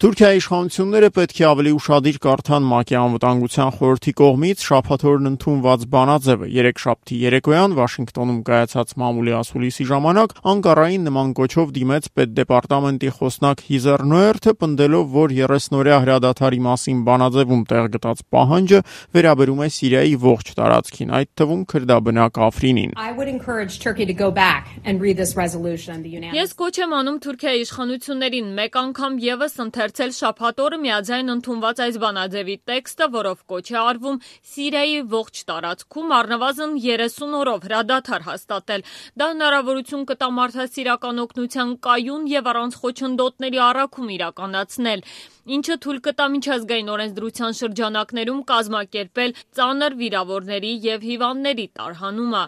Թուրքիայի իշխանությունները պետք է ավելի ուշադիր կարդան ՄԱԿ-ի անվտանգության խորհրդի կողմից շաբաթ օրն ընդունված բանաձևը։ Երեքշաբթի երեկոյան Վաշինգտոնում կայացած մամուլի ասուլիսի ժամանակ Անկարային նման կոչով դիմեց պետդեպարտամենտի խոսնակ Հիզեր Նոերթը, պնդելով, որ 30-օրյա հրադադարի մասին բանաձևում տեղ գտած պահանջը վերաբերում է Սիրիայի ողջ տարածքին, այդ թվում քրդաբնակ Աֆրինին։ Ես կոչ եմ անում Թուրքիայի իշխանություններին մեկ անգամ եւս ընթերցել շաբաթ օրը միաձայն ընդունված այս բանաձևի տեքստը, որով կոչ է արվում Սիրիայի ողջ տարածքում առնվազն 30 օրով հրադադար հաստատել։ Դա հնարավորություն կտա մարդասիրական օգնության կայուն եւ առանց խոչընդոտների առաքում իրականացնել, ինչը թույլ կտա միջազգային օրենսդրության շրջանակներում կազմակերպել ծանր վիրավորների եւ հիվանդների տարհանումը։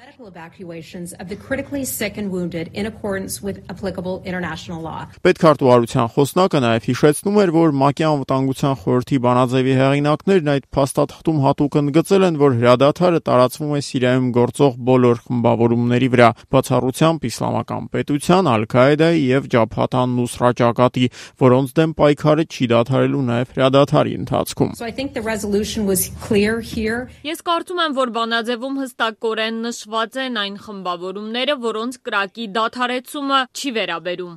Պետքարտուղարության խոսնակը նաև հիշեցնում էր, որ ՄԱԿ-ի անվտանգության խորհրդի բանաձևի հեղինակներն այդ փաստաթղթում հատուկ ընդգծել են, որ հրադադարը տարածվում է Սիրիայում գործող բոլոր խմբավորումների վրա, բացառությամբ Իսլամական պետության, Ալ-Քաիդայի եւ Ջաբհաթ ան-Նուսրա ճակատի, որոնց դեմ պայքարը չի դադարելու նաև հրադադարի ընթացքում։ Ես կարծում եմ, որ բանաձևում հստակորեն նշված են այն խմբավորումները, որոնց կրակի դադարեցումը չի վերաբերում։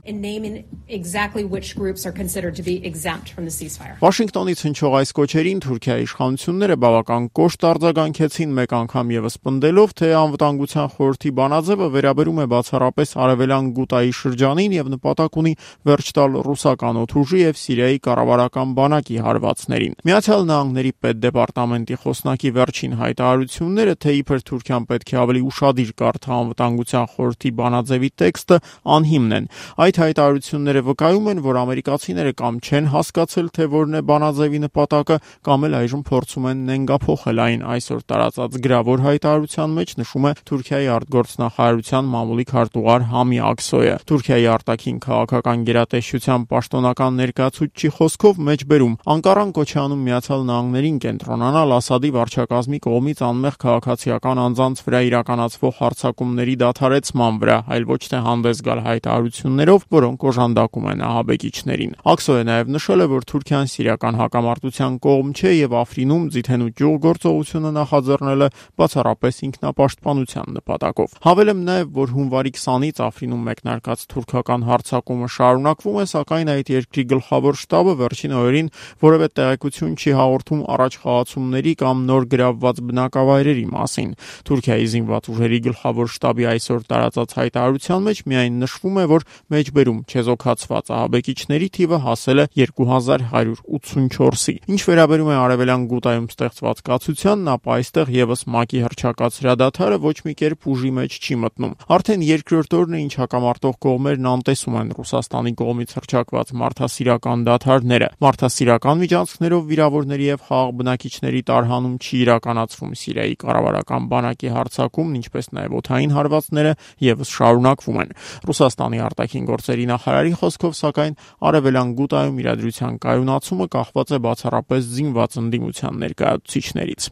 Վաշինգտոնից հնչող այս կոչերին Թուրքիայի իշխանությունները բավական կոշտ արձագանքեցին, մեկ անգամ եւս պնդելով, թե անվտանգության խորհրդի բանաձևը վերաբերում է բացառապես Արևելյան Գուտայի շրջանին եւ նպատակ ունի վերջ տալ ռուսական օդուժի եւ Սիրիայի կառավարական բանակի հարվածներին։ Միացյալ Նահանգների պետդեպարտամենտի խոսնակի վերջին հայտարարությունները, թե իբր Թուրքիան պետք է ավելի ուշադիր կարդա անվտանգության խորհրդի բանաձևի տեքստը, անհիմն են։ Այդ հայտարարությունները վկայում են, որ ամերիկացիները կամ չեն հասկացել, թե որն է բանաձևի նպատակը, կամ էլ այժմ փորձում են նենգափոխել այն։ Այսօր տարածած գրավոր հայտարարության մեջ նշում է Թուրքիայի արտգործնախարարության մամուլի քարտուղար Համի Ակսոյը։ Թուրքիայի արտաքին քաղաքական գերատեսչության պաշտոնական ներկայացուցչի խոսքով մեջբերում Անկարան կոչ է անում Միացյալ Նահանգներին կենտրոնանալ Ասադի վարչակազմի կողմից անմեղ քաղաքացիական անձանց վրա իրականացվող հարձակումների դադարեցման վրա, այլ ոչ թե հանդես գալ հայտարարություններով, որոնք օժանդակում են ահաբեկիչներին։ Ակսոյը նաև նշել է, որ Թուրքիան սիրիական հակամարտության կողմ չէ եւ Աֆրինում ձիթենու ճյուղ գործողությունը նախաձեռնել է բացառապես ինքնապաշտպանության նպատակով։ Հավելեմ նաև, որ հունվարի 20-ից Աֆրինում մեկնարկած թուրքական հարձակումը շարունակվում է, սակայն այդ երկրի գլխավոր շտաբը վերջին օրերին որևէ տեղեկություն չի հաղորդում առաջ խաղացումների կամ նոր գրավված բնակավայրերի մասին։ Թուրքիայի զինված ուժերի գլխավոր շտաբի այսօր տարածած հայտարարության մեջ միայն նշվում է, որ մեջբերում չեզոքացված ահաբեկիչների թիվը հասել է 2184-ի։ Ինչ վերաբերում է Արևելյան Գուտայում ստեղծված կացությանն, ապա այստեղ եւս ՄԱԿ-ի հռչակած հրադադարը ոչ մի կերպ ուժի մեջ չի մտնում։ Արդեն երկրորդ օրն է, ինչ հակամարտող կողմերն անտեսում են Ռուսաստանի կողմից հռչակված մարդասիրական դադարները։ Մարդասիրական միջանցքներով վիրավորների եւ խաղաղ բնակիչների տարհանում չի իրականացվում։ Սիրիայի կառավարական բանակի հարձակումն, ինչպես նաեւ օդային հարվածները եւս շարունակվում են։ Ռուսաստանի արտաքին գործերի նախարարի խոսքով, սակայն Արևելյան Գուտայում իրադրության կայունացումը կախված է բացառապես զինված ընդդիմության ներկայացուցիչներից։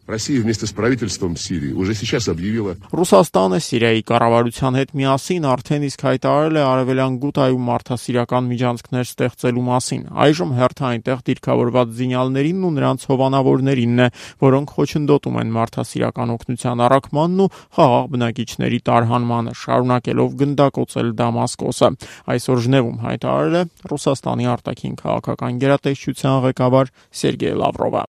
Ռուսաստանը Սիրիայի կառավարության հետ միասին արդեն իսկ հայտարարել է Արևելյան Գուտայում մարդասիրական միջանցքներ ստեղծելու մասին։ Այժմ հերթը այնտեղ դիրքավորված զինյալներին ու նրանց հովանավորներինն է, որոնք խոչընդոտում են մարդասիրական օգնության առաքմանն ու խաղաղ բնակիչների տարհանմանը, շարունակելով գնդակոծել Դամասկոսը։ Այսօր Ժնևում հայտարարել է Ռուսաստանի արտաքին քաղաքական գերատեսչության ղեկավար Սերգեյ Լավրովը։